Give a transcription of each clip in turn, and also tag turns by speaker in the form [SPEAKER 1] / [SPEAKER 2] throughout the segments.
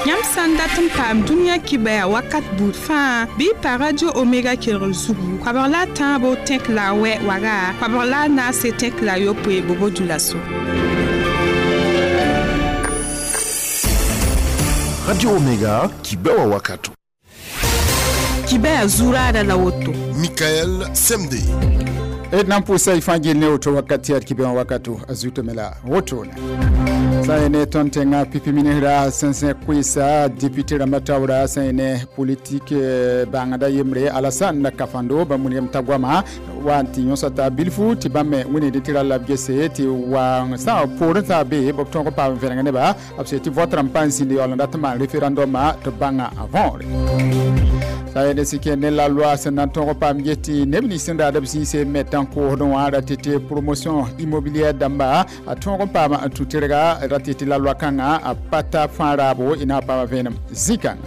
[SPEAKER 1] Yãmb sã n dat n paam dũniyã kibɛa wakat buud fãa bɩ y pa Radio Omega kelgr zugu koabg la a tãabo tẽk la a wɛ waga koabg la a naase tẽk la a yopoe Bobo-Dioulasso.
[SPEAKER 2] Radio Omega kibɛwa wakato.
[SPEAKER 1] Kibɛa zuraada la woto.
[SPEAKER 2] Michael Semde.
[SPEAKER 3] D na n pʋʋsa y fãa gill ne woto wakat tɩ yaa d kibẽ wã wakato a zuto me la wotone sã n ne tõnd tẽngã pipi ministra sẽn zẽk koeesa député rãmbã taoora sã n ne politik bãngda yembre Alassane Kafando bãmb wilgame t'a goama wa n tɩ yõsa t'a bilfu tɩ bãmb me wĩnigd tɩ ra la b gese tɩ wa sã poorẽ t'a be b tõog n paam vẽneg neba b se tɩ vote rãmb pa n zĩnd yaool n dat n maan référendum tɩ b bãnga a võore. Sã n sɩ kẽ ne la loi sẽn na n tõog n paam get tɩ neb nins sẽn raad b zĩise me tãn-koosdẽ wã ra tɩ tɩ promotion immobilière dãmba a tõog n paam n tũ-tɩrga ra tɩ tɩ la loi kãngã a pa ta fãa raabo y na n paama vẽenem zĩ-kãnga.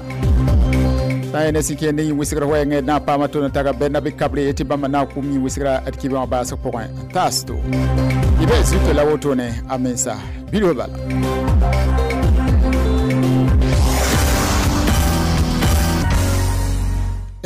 [SPEAKER 3] Sã n sɩ kẽ ne yĩn-wɩsgr wɛɛngẽ d na n paama tõnd n taga Bɛrnabe Kabre tɩ bãmba na n kʋm yĩn-wɩsgra d kibẽ wã baasg pʋgẽ taasto. Y bɩ zuto la wotone a mensa bilf bala.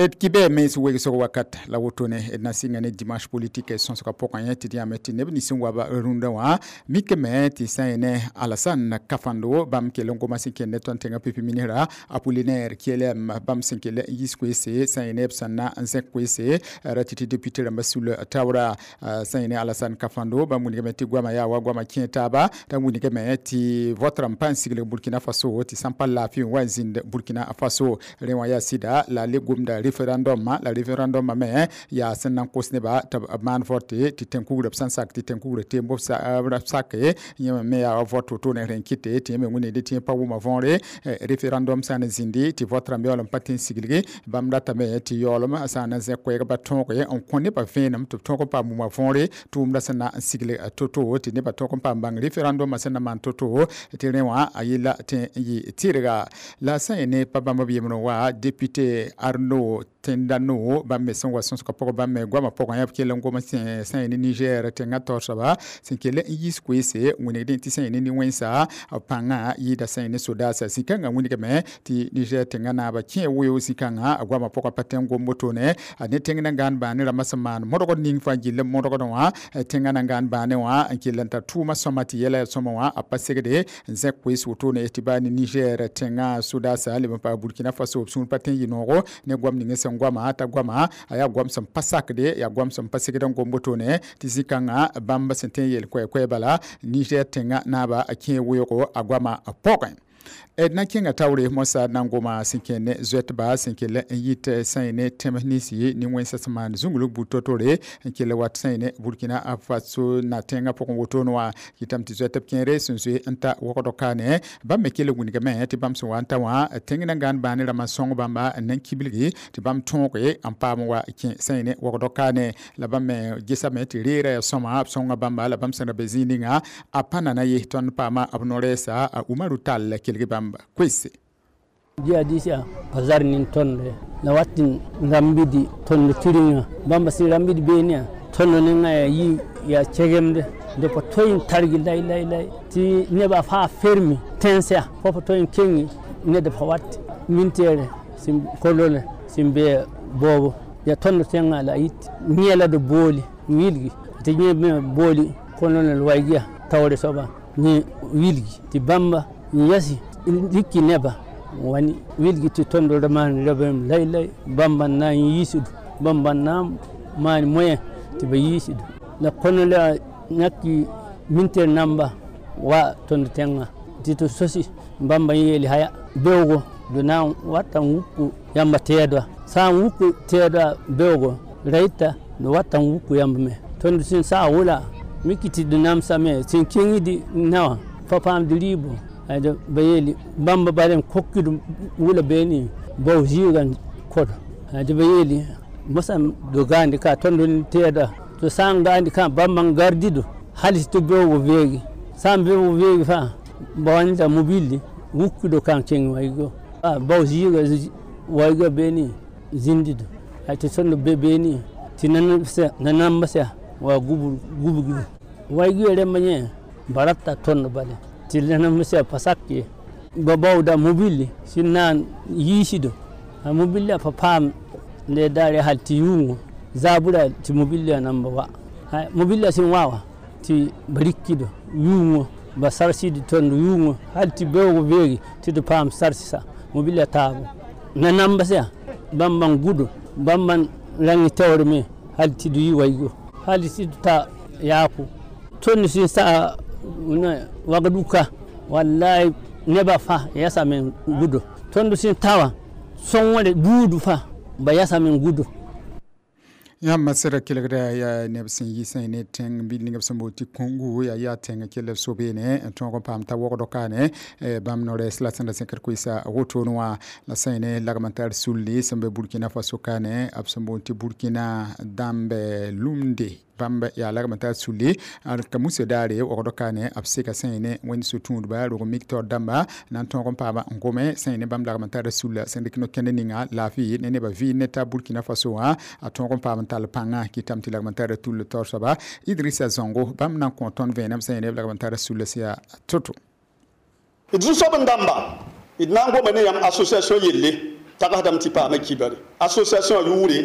[SPEAKER 3] D kibɛ mens wegsg wakat la wotone d na sɩnga ne dimanche politique sõsgã pʋgẽ yẽ tɩ d yãame tɩ neb nins sẽn wa ba rũndã wã mikame tɩ sã n ne Alassane Kafando bãmb kell n goma sẽn kẽnd ne tõnd tẽngã pipi ministra Apollinaire Kyelem bãmb sẽn kell n yis koeese sã n ne b sẽn na n zẽk koeese ra tɩ tɩ député rãmbã sul taoora sã n ne Alassane Kafando bãmb wilgame tɩ goama yaa wa goama kẽ taaba t'a wilgame tɩ vote rãmb pa n sigl Burkina Faso tɩ sã n pa laafɩ n wa n zĩnd Burkina Faso rẽ wã yaa sɩda la le gomda référendum la référendum me ya sẽn na n kos neba tɩ b maan vote tɩ tẽn-kugrã b sã n sak tɩ tẽn-kugrã teem b sake yẽ me yaa wa vote wotone rẽ n kɩte tɩ yẽ me wĩnigd tɩ yẽ pa wʋma võore référendum sã n zĩndi tɩ vote rãmb yaool n pa tɩ n siglgi bãmb ratame tɩ yaoolem sã n na zẽk koɛɛg ba tõoge n kõ nebã vẽenem tɩ b tõog n paam wʋma võore tʋʋmdã sẽn na n sigl to-to tɩ nebã tõog n paam bãng référendum sẽn na maan to-to tɩ rẽ wã a yella tɩ n yɩ tɩrga la sã n ne pa bãmb b yembre wa député Arnaud Tendano bãmb me sẽn wa sõsgã pʋgẽ bãmb me goamã pʋgẽ b kell n gom sã n ne Niger tẽngã taoor soaba sẽn kell n yis koeese wĩnigdẽ tɩ sã n ne nin-wẽnsa pãngã yɩɩda sã n ne sodaasa zĩ-kãngã wĩnigame tɩ Niger tẽngã naaba kẽ weoog zĩ-kãngã a goamã pʋgã pa tẽ n gom wotone a ne tẽng na n gãan bãane rãmbã sẽn maan modgd ning fãa gill n modgdẽ wã tẽngã na n gãan bãane wã n kell n tar tʋʋmã sõma tɩ yɛla yaa sõma wã a pa segde n zẽk koees wotone tɩ baa ne Niger tẽngã sodaasa leb n paas Burkina Faso b sũur pa tẽ n yɩ noogo ne goam ning sẽn goama t'a goama a yaa goam sẽn pa sakde yaa goam sẽn pa segd n gom wotone tɩ zĩ-kãngã bãmb sẽn tõe n yeel koɛɛ-koɛɛ bala Niger tẽngã naaba a kẽ weoogo a goamã pʋgẽ. D na kẽnga taoore moasã na n goma sẽn kẽ ne zoɛtba sẽn kell n yit sã n ne tẽms ninsi nin-wẽnsã sẽn maan zũnglg buud to-tore n kell wat sã n ne Burkina Faso na tẽngã pʋgẽ wotone wã kɩtame tɩ zoɛtb kẽere sẽn zoe n ta wogdg kaane bãmb me kell n wilgame tɩ bãmb sẽn wa n ta wã tẽng na n gãan bãane rãmbã n sõng bãmba n na n kibilgi tɩ bãmb tõoge n paam wa kẽ sã n ne wogdg kaane la bãmb me gesame tɩ reera yaa sõma b sõnga bãmba la bãmb sẽn ra be zĩig ninga a pa nana ye tõnd paama b no-rɛɛsa a Umaru Tall kelg bãmb koeese.
[SPEAKER 4] Jihadisia bazar nin tonde na watin rambidi tondo tiringa bamba si rambidi benia tondo ninga ya yi ya chegemde de po toyin targi lay lay lay ti neba fa fermi tensia fo toyin kengi ne de fa wat mintere sim kolole simbe bobo ya tondo tenga la yit nyela de boli wilgi ti nyebe boli kolone waygia tawre soba ni wilgi ti bamba yasi dikki neba wani wilgi ti tondo man rabem lay lay bamba na yisudu bamba na man moyen ti ba yisudu la kono la nakki minter namba wa tondo tenga ti to sosi bamba yeli haya bewgo do na wata wuku yamba teedwa sa wuku teedwa bewgo raita no wata wuku yamba me tondo sin sa wula mikiti do namsa me sin kingidi nawa papam de libo ada bayeli bamba balen kokkidu wula beni baw jigan kodo ada bayeli masam do gandi ka tondo teeda to san gandi ka bamba gardido halis to bewgo veegi san bewgo veegi fa bawanda mobili wukkido kan king waygo a baw jiga waygo beni zindido ay to tondo be beni tinan se nanan masa wa gubu gubu waygo remanye baratta tondo bale tilana masa pasakki. Ba bawda mobili sẽn na n yiisdo a mobili pa paam ne daare hal tɩ yʋʋngõ zaabra tɩ mobili nan ba wa mobili sẽn wa wã tɩ ba rikdo yʋʋngõ ba sarsd tõnd yʋʋngõ hal tɩ beoog beege tɩ d paam sarsa mobili taabo na namba sã bãmb n gudo bãmb n rãng taoorme hal tɩ d yɩ waigo hal tɩ d ta yaako tõnd sẽn sa wagduka wallahi neba fãa yasame gudo tõnd sẽn ta wã sõngre buud fãa ba yasame gudo.
[SPEAKER 3] Yãmb sẽd kelgda yaa neb sẽn yi sẽn ne tẽng bil ning b sẽn boond tɩ Congo yaa yaa tẽng kell b so-beene n tõog n paam t'a wogd kaane bãmb no-rɛɛs la sẽn da zẽkd koeesa wotone wã la sẽn ne lagm n tar sulli sẽn be Burkina Faso kaane b sẽn boond tɩ Burkina dãmb lumde bãmb yaa lagm n tar sulli ka musa daare wogd kaane b seka sẽn ne wẽnd so-tũudba rog mik taoor dãmba na n tõog n paama n gome sẽn ne bãmb lagm n tara sulla sẽn dɩk no-kẽnd ninga laafɩ ne nebã vɩɩ ne ta Burkina Faso wã a tõog n paam n tall pãnga kɩtame tɩ lagm n tara tull taoor soaba Idrissa Zongo bãmb na n kõ tõnd vẽenem sẽn ne b lagm n tara sulla sẽn yaa to-to.
[SPEAKER 5] D zu-soab n dãmba d na n goma ne yãmb association yelle tagsdame tɩ paama kibare association yʋʋre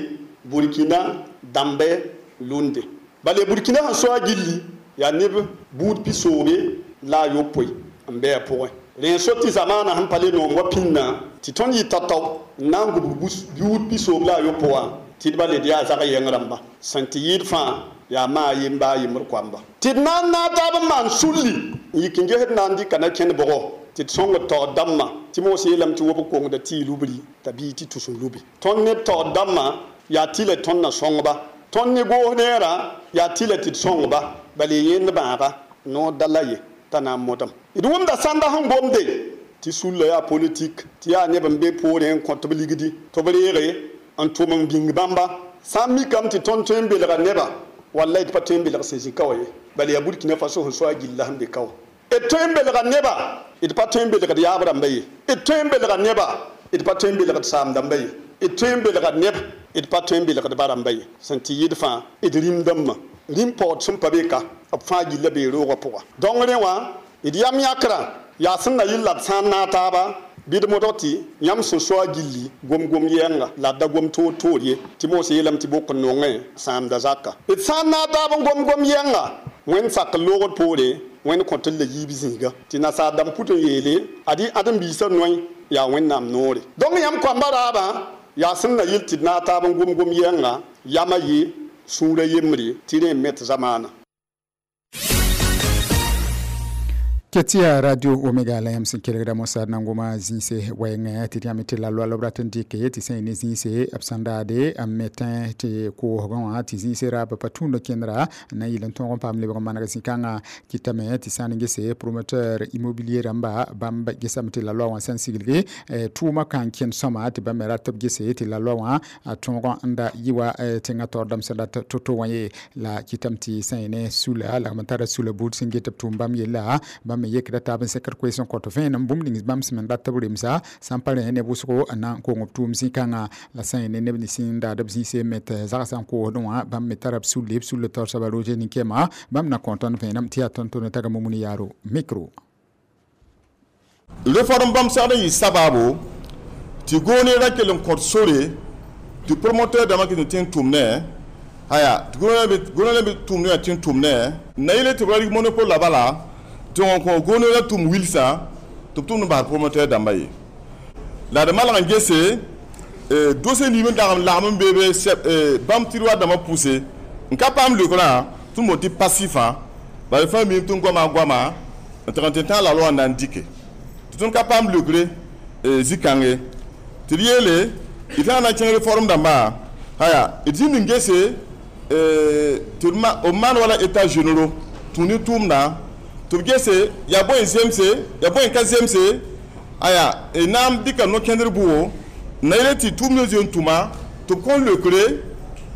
[SPEAKER 5] Burkina dãmbe lunde bala Burkina sẽn so a gilli yaa neb buud pisoobe la a yopoe n be a pʋgẽ rẽ n so tɩ zamaana sẽn pa le noom wa pĩnnã tɩ tõnd yɩ tao-tao n na n gubg buud pisoob la a yopo wã tɩ d ba le d yaa zag yɛng rãmba sẽn tɩ yɩɩd fãa yaa maa yemba a yembr koamba tɩ d na n naag taab n maan sulli n yik n gesd na n dɩka na kẽnd bʋgɔ tɩ d sõngd taoor dãmbã tɩ moos yeelame tɩ wob kongda tɩ y lubri t'a bii tɩ tus n lubi tõnd neb taoor dãmbã yaa tɩ la tõnd na sõngba tõnd ne goos neerã yaa tɩ la tɩ d sõngba bala y yẽnd bãaga noor da la ye t'a na n modem d wʋmda sãnda sẽn gomde tɩ sulla yaa politik tɩ yaa neb n be poorẽ n kõt b ligdi tɩ b reege n tʋm n bĩng bãmba sã n mikame tɩ tõnd tõe n belga neba wallay d pa tõe n belg sẽn zĩ ka wa ye bala yaa Burkina Faso sẽn so a gilla sẽn be ka wã d tõe n belga neba d pa tõe n belgd yaab rãmba ye d tõe n belga neba d pa tõe n belgd saam dãmba ye d tõe n belga neb d pa tõe n belgd ba rãmba ye sẽn tɩ yɩd fãa d rĩm dãmbã rĩm paood sẽn pa be ka b fãa gilla bee roogã pʋga donc rẽ wã d yam yãkrã yaa sẽn na yɩl la d sã n naag taaba bɩ d modg tɩ yãmb sẽn so a gilli gom-gom yɛnga la d da gom toor-toor ye tɩ moos yeelame tɩ bok n nongẽ sãamda zaka d sã n naag taab n gom-gom yɛnga wẽnd sak n loogd poore wẽnd kõt n la yiib zĩiga tɩ nasaar dãmb put n yeele ad ãdem-biisã noe yaa wẽnnaam noore donc yãmb koamba raabã yaa sẽn na yɩl tɩ d naag taab n gom-gom yɛnga yamã ye sũurã yembre tɩ rẽ n met zamaana.
[SPEAKER 3] Ketia Radio Omega la yãmb sẽn kelgda mosad na n goma zĩise wɛɛngẽ tɩ d yãmb tɩ la loa b rat n dɩke tɩ sẽn ne zĩise b sẽn daade n metẽ tɩ koosgẽ wã tɩ zĩise raab pa tũud kẽndra n na n yɩl n tõog n paam lebg n maneg zĩ-kãngã kɩtame tɩ sã n gese promoteur immobilier rãmba bãmb gesame tɩ la loa wã sẽn siglge tʋʋmã ka n kẽnd sõma tɩ bãmb me rat b gese tɩ la loa wã a tõog n da yɩ wa tẽngã taoor dãmb sẽn dat to-to wã ye la kɩtame tɩ sẽn ne sula lagm n tara sula buud sẽn get b tʋʋm bãmb yella bãmb me yekda taab n sekr koees n kõt vẽenem bũmb ning bãmb sẽn me rat b remsa sã n pa rẽ neb wʋsgo n na n kong b tʋʋm zĩ-kãngã la sã n ne neb nins n daad b zĩise me tɩ zagsã n koosdẽ wã bãmb me tara b sulle b sulle taoor soaba Roger Ninkema bãmb na kõ tõnd vẽenem tɩ yaa tõnd-tõnd taga Mumuni Yaaro micro.
[SPEAKER 6] Réforme bãmb segd n yɩ sabaabo tɩ goone ra kell n kõt sore tɩ promoteur dãmbã kɩt n tẽ n tʋm ne aya tɩ goone me tʋmd wã tẽ n tʋm ne na yele tɩ b ra rɩk monopole la bala tɩ wã kõ goone ra tʋm wilsã tɩ b tʋmd n bas promoteur dãmbã ye la d malg n gese dossier nim n dag n lagm n beebe bãmb tiroir dãmbã pʋse n ka paam leokrã tɩ n boond tɩ passifã bala fãa miime tɩ n goama goama n tɩg n tɩ tãag la loa n na n dɩke tɩ tõnd ka paam leokre zĩ-kãnge tɩ d yeele d tãag na n kẽng réforme dãmbã aya d zĩnd n gese tɩ b maan wala état généraux tũ ne tʋʋmdã tɩ b gese yaa bõe n zemse yaa bõe n ka zemse aya na n dɩka no-kẽndr bʋgo na yele tɩ tʋʋmd n zoe n tʋma tɩ b kõn leokre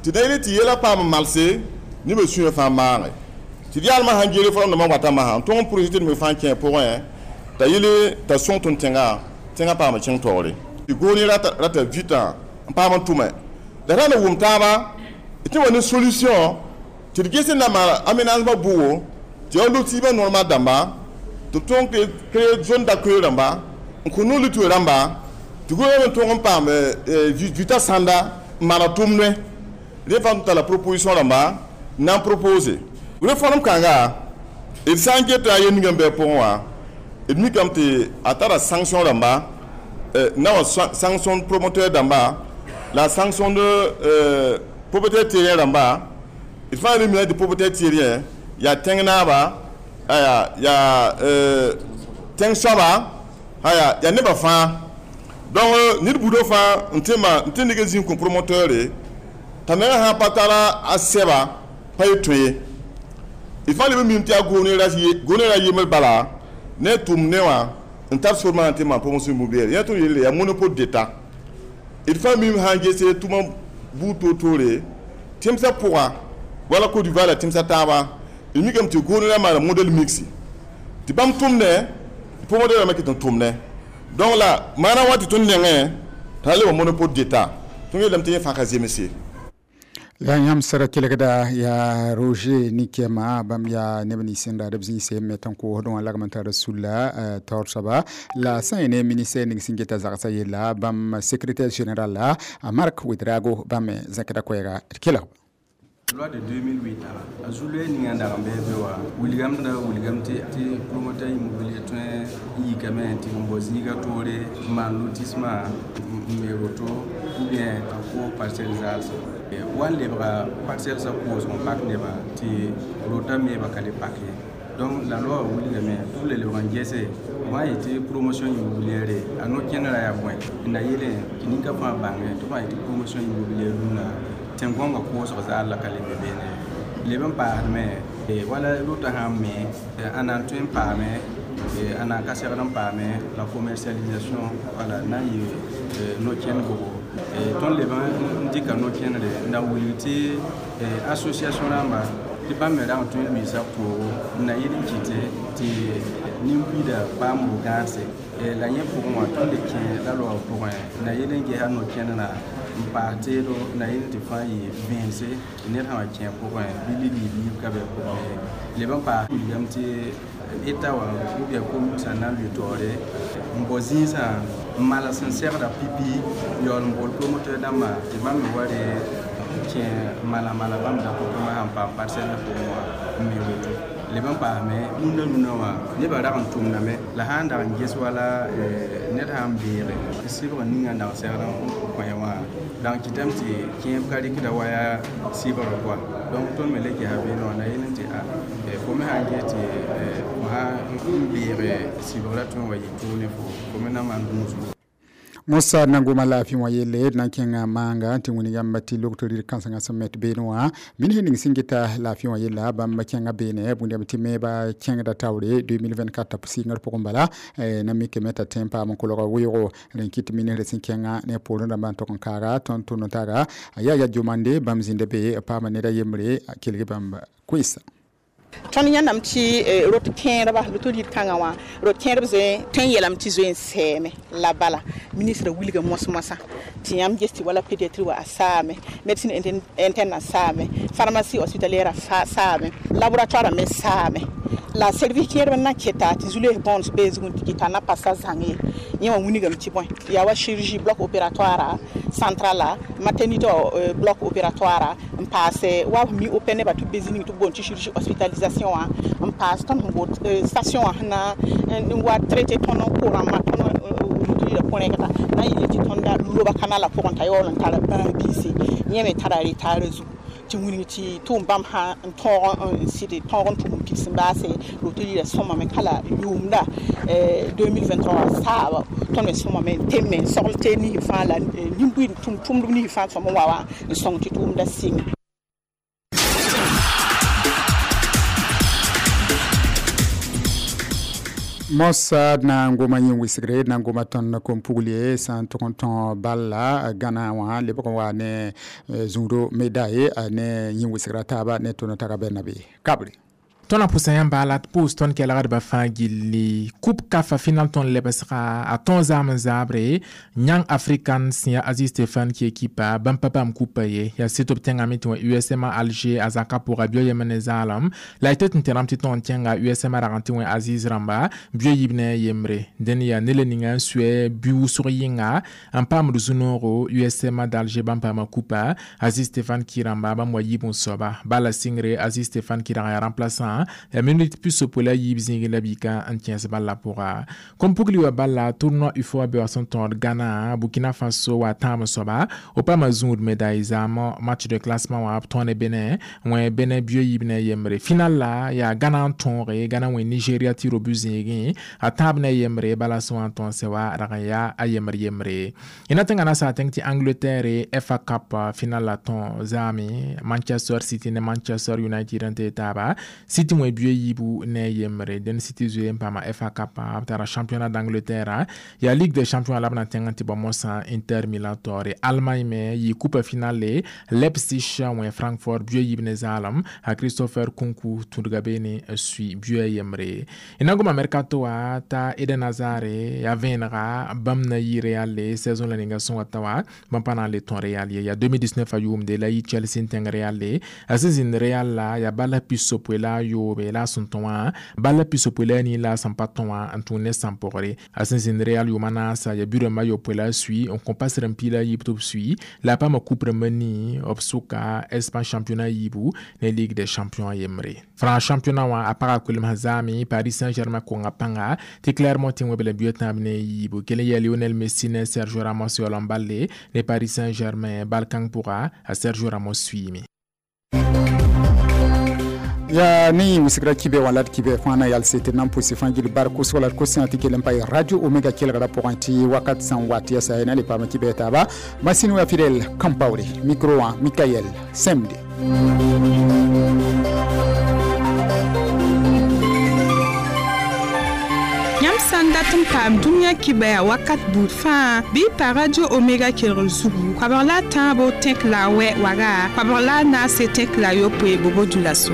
[SPEAKER 6] tɩ na yele tɩ yɛla paam n malse nebã sũyã fãa maage tɩ d yaalmã sãn gee réforme dãmbã wata masã n tõg n projet tɩ d me fãa kẽ pʋgẽ t'a yele t'a sõng tõnd tẽngã tẽngã paam n kẽng taoore tɩ goone rata vita n paam n tʋme la ra na wʋm taaba tɩ wa ne solution tɩ d ges n na maan aménagement bʋgo tɩ yaa lotiibã normal dãmba tɩ b tõog créer zone d'accueil rãmba n kõ no luto rãmba tɩ gʋlga n tõg n paam vita sãnda n maana tʋmdẽ rẽ fãa tɩ tara proposition rãmba n na n propose réforme kãnga d sã n geta a yel ninga n bɩ a pʋgẽ wã d mikame tɩ a tara sanction rãmba na wa sanction promoteur dãmba la sanction de propriétaire terrien rãmba d fãa re mina tɩ propriétaire terrien yaa tẽng naaba yaa tẽng soaba yaa nebã fãa donc ned buudã fãa n tɩ neg n zĩig kõ promoteur t'a menga sã pa tara a sɛba pa ye tõe ye d fãa leb n mim tɩ yaa gʋʋne ra yembr bala ne tʋʋm ne wã n tar sor maana tɩ maan promotion immobilière yã tõnd yelle yaa monopole d'état d fãa mim sã n gese tʋma buud toor-toore tẽmsã pʋga wala Côte d'Ivoire la tẽmsã taaba d mikame tɩ gʋʋne ra maana modèle mixte tɩ bãmb tʋmdẽ promoteur rãmbã ket n tʋmdẽ donc la maana wa tɩ tõnd nengẽ t'a lebg monopole d'état tõnd yeelame tɩ yẽ fãa ka zemse.
[SPEAKER 3] La yãmb sẽd kelgda yaa Roger Nikema bãmb yaa neb nins sẽn ra d b zĩig me tɩ n koosdẽ wã lagm n tar sulla taoor soaba la sã n ne ministère ning sẽn geta zagsã yella bãmb secrétaire général la Marc Ouedraogo bãmb me zãkda koɛɛga d kelg.
[SPEAKER 7] Loi de 2008 a zulue ninga dag n bɩ be wa wilgamda wilgam tɩ promoteur immobilier tõe n yikame tɩ n bao zĩiga toore n maan lotissement n me roto ou bien a ko parcelle zaalsã wa n lebga parcelle sã koosg n pak nebã tɩ rota meeba ka le pak ye. Donc la loi wilgame tɩ b le lebg n gese wã yetɩ promotion immobilière a no-kẽnerã yaa bõe n na yeelẽ tɩ ninka fãa bãnge tɩ b sã yetɩ promotion immobilière rũnã tẽn-gõngã koosg zaal la ka le be beene leb n paasdme wala rota sã n me a na n tõe n paame a na n ka segd n paame la commercialisation wala na n yɩ no-kẽnd bogo tõnd leb n dɩka no-kẽnere n na wilg tɩ association rãmba tɩ bãmb me rag n tõe n luiisa poogo n na yɩl n kɩte tɩ nin-buiida paam bu-gãadse la yẽ pʋgẽ wã tõnd le kẽ la loa pʋgẽ n na yɩl n gesa no-kẽnerã n paas teedo na yel tɩ fãa yɩ vẽense tɩ ned sã wa kẽ pʋgẽ bɩ ligl biib ka bɩ pʋgẽ leb n paas wilgame tɩ eta wã ou bien commune sã n na n lʋɩ taoore n bao zĩisã n mals n segda pipi yaool n bool promoteur dãmbã tɩ bãmb me wa re kẽ mala mala bãmb da pʋgẽ sãn paam parcelle pʋgẽ wã n me woto leb n paasme rũndã rũndã wã nebã rag n tʋmdame la sã n dag n ges wala ned sã n beege sɩbg ninga n dag segd n kõ wã dag n kɩtame tɩ kẽeb ka rɩkda wa yaa sɩbgrã koa donc tõnd me le gesa beene wã na yel n tɩ a fo me sã n ges tɩ fo sã n beege sɩbgrã tõe n wa yɩ tʋʋg ne fo me na maan gũusgo.
[SPEAKER 3] Mosa nangoma laafɩ wã yelle d na n kẽnga maanga tɩ wĩni yãmb tɩ logtr rɩd kãsengã sẽn met beene wã min ning sẽn geta laafɩ wã yella bãmb kẽnga beene bũmb tɩ meeba kẽngda taoore 2024 sɩngr pʋgẽ bala na mikame t'a tẽ n paam n kolga weoogo rẽn kɩt ministr sẽn kẽnga ne poorẽ rãmbã n tog n kaaga tõnd tʋnd n tara a yaa ya jomande bãmb zĩnda be paama ned a yembre kelg bãmb koɛɛsa.
[SPEAKER 1] Tõnd yãndame tɩ rot kẽerba loto rɩd kãngã wã rot kẽerb zoe tõe n yeelame tɩ zoe n sɛɛme la bala ministrã wilga moas-moasã tɩ yãmb ges tɩ wala pédiatrie wã a saame médecine interne a saame pharmacie hospitalière a saame laboratoire me saame la service kẽerb n na keta tɩ zu-loees bõond bee zugẽ tɩ kɩta na pasa zãng ye yẽ wã wilgame tɩ bõe yaa wa chirurgie bloc opératoire central maternité bloc opératoire n paase wa mi open nebã tɩ b be zĩ ning tɩ b boond tɩ chirurgie hospitalisation wã n paas tõnd sẽn boot station wã sẽn na n wa traité tõnd n ko-rãmbã tõnd rɩda pʋrẽgda na n yɩl tɩ tõnda loba kanala pʋgẽ t'a yaool n tara bãag biise yẽ me tara retaarã zugu tɩ wilg tɩ tʋʋm bãmb sã n tõog n sɩd tõog n tʋm n pids n baase roto rɩda sõmame ka la yʋʋmda 2023 saaba tõnd me sõmame n teme n sogl tee nis fãa la nin-buiid tʋmtʋmdb nis fãa sõm n wa wã n sõng tɩ tʋʋmda sɩnge.
[SPEAKER 3] Mosa na n goma yẽ wɩsgre na n goma tõnd kom-pugl sã n tʋg n tõ balla gãna wã lebg n wa ne zũuro medaye ne yẽ wɩsgra taaba ne tõnd tara bɛrna be kabre.
[SPEAKER 8] Tõnd na pʋsa yãmba la d pʋʋs tõnd kelgdbã fãa gilli coupe CAF final tõnd lebsga a tõog zaam n zaabre yãng african sẽn yaa Aziz Stefan ki ekipa bãmb pa bãmb kupa ye yaa sɩd b tẽngame tɩ wã USM Alger a zaka pʋga bio yem ne zaalem la y tɩ tɩ tẽrame tɩ tõog n kẽnga USM rag n tɩ wẽ Aziz rãmba bio yiib ne a yembre dẽn yaa ne la ninga n sʋɛ bi wʋsg yɩnga n paamd zu-noogo USM d'Alger bãmb paama kupa. Aziz Stefan ki rãmba bãmb wa yiib n soaba bala sɩngre Aziz Stefan ki rag yaa remplaçant ya minute pisopoe la yiib zĩigẽ la bika n kẽes bala pʋga. Kom pugli wa bala tournoi UFOA be wa sẽn tõod Ghana Burkina Faso wa tãam soaba o paama zũud médaille zaam match de classement wã b tõe ne Benin wẽ Benin bio yiib ne yembre. Final la yaa Ghana n tõoge Ghana wẽ Nigeria tɩ ro bu zĩigẽ a tãab ne yembre bala sẽn wa n tõog sɛ wa rag n yaa a yembre yembre. Y na tẽnga na saa tẽng tɩ Angleterre FA Cup final la tõog zaame Manchester City ne Manchester United n tee taaba City wẽ bio yiibu ne yembre dẽn City zoe n paama FA Cup b tara championnat d'Angleterre yaa Ligue des champions la b na tẽng n tɩ bao mosã Inter Milan taoore. Allemagne me yɩ coupe finale Leipzig wẽ Francfort bio yiib ne zaalem a Christopher Nkunku tũudga beene n sui bio a yembre. Y na goma mercato wa t'a Eden Hazard yaa vẽenega bãmb na yɩ Real le saison la ninga sẽn wa ta wa bãmb pa na n le tõe Real ye yaa 2019 a yʋʋmde la yɩ Chelsea n tẽng Real le a sẽn zĩnd Real la yaa bala pisopoe la a yoobe la a sẽn tõ wã bala pisopoe la a nii la a sẽn pa tõ wã n tũud ne sãn-pʋgre a sẽn zĩnd Real yʋʋma naasa yaa bi-rãmbã yopoe la a sui n kõ pas rãmb piig la a yiib tɩ b sui la a paama coupe rãmbã nii b sʋka Espagne championnat yiibu ne Ligue des champions yembre. France championnat wã a paga koelem zaame Paris Saint-Germain konga pãnga tɩ Clermont tɩ wẽb la bio tãab ne yiibu kell n yaa Lionel Messi ne Sergio Ramos yaool n balle ne Paris Saint-Germain bal kãng pʋga a Sergio Ramos suiime.
[SPEAKER 3] Ya ni wisigra kibe wala kibe fãa na yalse tɩ nan pʋse fãa gil bar kosg la d kosẽa tɩ kell n pa Radio Omega kelgra pʋgẽ tɩ wakat sẽn wat yaa sa na le paam kibe taaba masine wa Fidel Kampaore micro wã Mikael Semde.
[SPEAKER 9] Yãmb sã n dat n paam dũniyã kibɛa wakat buud fãa bɩ pa Radio Omega kelgr zugu koabg la a tãabo tẽk la a wɛ waga koabg la a naase tẽk la a yopoe bobo dula so.